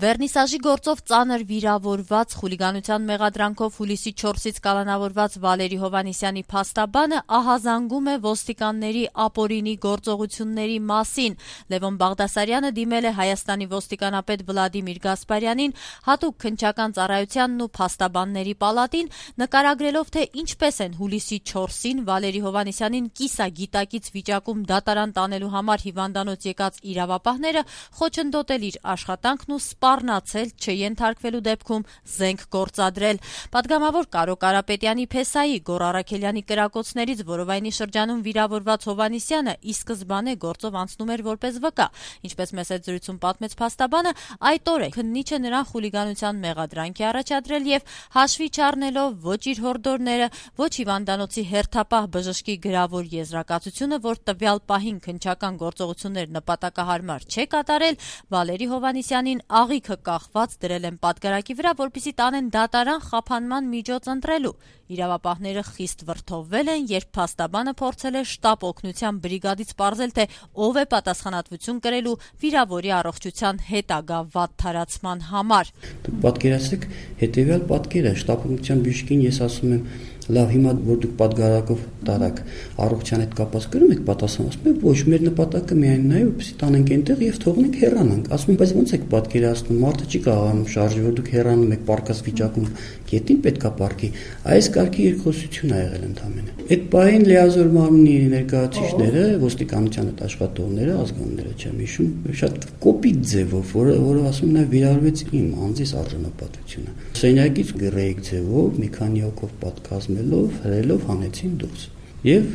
Վերնիսաժի գործով ծանր վիրավորված, խուլիգանության մեղադրանքով հուլիսի 4-ից կալանավորված Վալերի Հովհաննիսյանի փաստաբանը ահազանգում է ոստիկանների ապօրինի գործողությունների մասին։ Լևոն Բաղդասարյանը դիմել է Հայաստանի ոստիկանապետ Վլադիմիր Գասպարյանին, հատուկ քննչական ծառայությանն ու փաստաբանների պալատին, նկարագրելով, թե ինչպես են հուլիսի 4-ին Վալերի Հովհաննիսյանին կիսագիտակից վիճակում դատարան տանելու համար հիվանդանոց եկած իրավապահները խոչընդոտել իր աշխատանքն ու սպառնացել չենթարկվելու դեպքում զենք գործադրել։ Պատգամավոր Կարո Կարապետյանի փեսայի Գոռ Առաքելյանի կրակոցներից որովայնի շրջանում վիրավորված Հովհաննիսյանը ի սկզբանե գործով անցնում էր որպես վկա։ Ինչպես մեծ հետ զրույցում պատմեց փաստաբանը, այդ օրը քննիչը նրան խուլիգանության մեղադրանք է առաջադրել եւ հաշվի չառնելով ոչ իր հորդորները, ոչ հիվանդանոցի հերթապահ բժշկի գրավոր եզրակացությունը, որ տվյալ պահին քննչական գործողություններ նպատակահարմար չէ կատարել, Վալերի Հովհաննիսյանին աղիքը կախված դրել են պատգարակի վրա, որպեսզի տանեն դատարան խափանման միջոց ընտրելու։ Իրավապահները խիստ վրդովվել են, երբ փաստաբանը փորձել է շտապ օգնության բրիգադից պարզել, թե ով է պատասխանատվություն կրելու վիրավորի առողջության հետագա վատ թարացման համար։ Դուք պատկերացրեք հետևյալ պատկերը, շտապ օգնության բժշկին ես ասում եմ, լավ, հիմա որ դուք պատգարակով տարաք, առողջության հետ կապված կրում եք պատասխան, ասում եք, ոչ, մեր նպատակը միայն նա է, որպեսզի տանենք այնտեղ եւ թողնենք հեռանանք։ Ասում եմ, բայց ո՞նց եք պատկերացնում, մարդը չի կարողանում շարժել, որ դուք հեռանում եք պարկած վիճակում, գետին պետքա պարկի։ Այս կարգի երկխոսություն ա եղել ընդամենը։ Այդ պահին լիազոր մարմնի ներկայացուցիչները, ոստիկանության հետ աշխատողները, ազգանունները չեմ հիշում, շատ կոպիտ ձևով, որը ասում նա վիրավորվեց իմ անձիս արժանապատվությունը։ Սենյակից գրեիք ձևով մի քանի հոգով պատկազմելով, հրելով հանեցին դուրս։ Եվ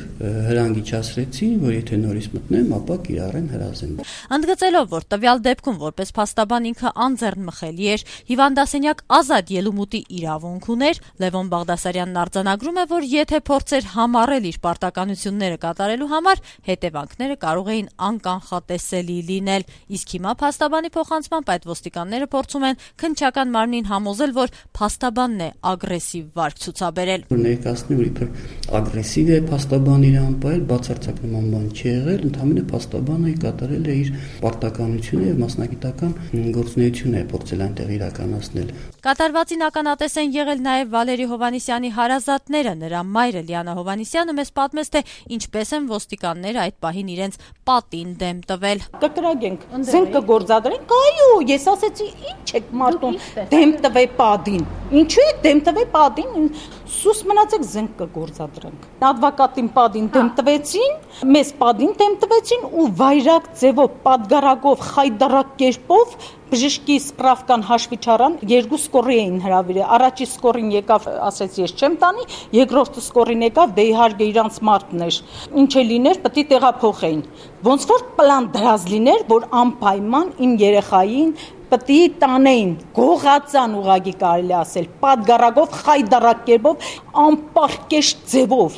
հրանգիչացրեցին, որ եթե նորից մտնեմ, ապա կիրառեն հրազեն։ Ընդգծելով, որ տվյալ դեպքում որպես փաստաբան ինքը անձեռնմխելի էր, հիվանդասենյակ ազատ ելումուտի իրավունք ուներ, Լևոն Բաղդասարյանն արձանագրում է, որ եթե փորձեր համառել իր պարտականությունները կատարելու համար, հետևանքները կարող էին անկանխատեսելի լինել։ Իսկ հիմա փաստաբանի փոխանցմամբ այդ ոստիկանները փորձում են քննչական մարմնին համոզել, որ փաստաբանն է ագրեսիվ վարք ցուցաբերել։ Ներկայացնում որ իբր ագրեսիվ է փաստաբանը իր անպայել բացարձակ նման բան չի եղել, ընդհանրապես փաստաբանը կատարել է իր պարտականությունը եւ մասնագիտական գործունեությունը է փորձել այնտեղ իրականացնել։ Կատարվածին ականատես են եղել նաեւ Վալերի Հովհաննիսյանի հարազատները, նրա մայրը Լիանա Հովհաննիսյանը մեզ պատմեց, թե ինչպես են ոստիկանները այդ պահին իրենց պատին դեմ տվել։ Կկրագենք, զենք կգործադրենք, այո, ես ասեցի, ինչ եք մարդուն դեմ տվե պատին։ Ինչու եք դեմ տվե պատին։ Սուս մնացեք զենք կգործադրենք։ Ադվոկատին պատին դեմ տվեցին, մեզ պատին դեմ տվեցին ու վայրակ ձևով պատգարակով խայդարակ կերպով բժշկի սպրավկան հաշվի չառան, երկու սկորի էին հրավիրել։ Առաջի սկորին եկավ, ասեց ես չեմ տանի, երկրորդ սկորին եկավ, դե իհարկե իրանց մարդն էր։ Ինչ է լիներ, պետք է տեղափոխեին։ Ոնց որ պլան դրած լիներ, որ անպայման իմ երեխային պետք է տանեին, գողացան ուղագի կարելի ասել, պատգարակով, խայդարակ կերպով, անպարկեշտ ձևով։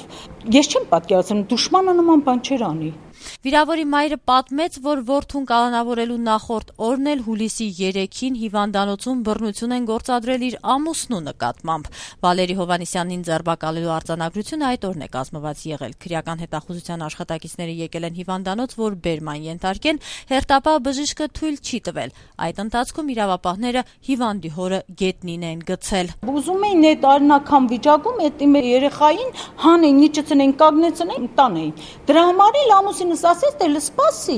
Ես չեմ պատկերացնում, դուշմանը նման բան չէր անի։ Վիրավորի մայրը պատմեց, որ որդուն կալանավորելու նախորդ օրն էլ հուլիսի 3-ին հիվանդանոցում բռնություն են գործադրել իր ամուսնու նկատմամբ։ Վալերի Հովհաննիսյանին ձերբակալելու արձանագրությունը այդ օրն է կազմված եղել։ Քրեական հետախուզության աշխատակիցները եկել են հիվանդանոց, որ բերման ենթարկեն, հերթապահ բժիշկը թույլ չի տվել։ Այդ ընթացքում իրավապահները հիվանդի հորը գետնին են գցել։ Ուզում էին այդ արնական վիճակում այդ իմ երեխային հանեին, իջեցնեն, կանգնեցնեն, տանեին։ Դրա համար էլ ամուսինս ասեց, դե լսպասի,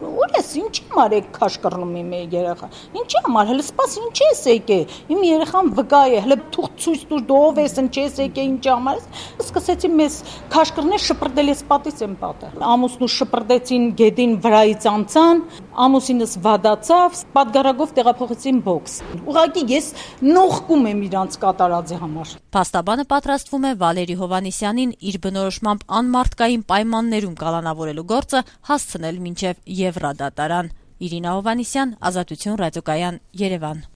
ուր ես, ինչի համար եք քաշ կռնում իմ երեխա, ինչի համար, հլը սպասի, ինչի ես եկե, իմ երեխան վկա է, հլը թուղ ցույց տուր, դու ով ես, ինչի ես եկե, ինչի համար ես, սկսեցի մեզ քաշ կռնել, շպրտել ես պատից եմ պատը, ամուսնու շպրտեցին, գեդին վրայից անցան, ամուսինս վադացավ, պատգարակով տեղափոխեցին բոքս, ուղղակի ես նողկում եմ իրանց կատարածի համար։ Փաստաբանը պատրաստվում է Վալերի Հովհաննիսյանին իր բնորոշմամբ անմարդկային պայմաններում կալանավորելու գործը հասցնել մինչև Եվրադատարան։ Իրինա Հովհաննիսյան, Ազատություն ռադիոկայան, Երևան։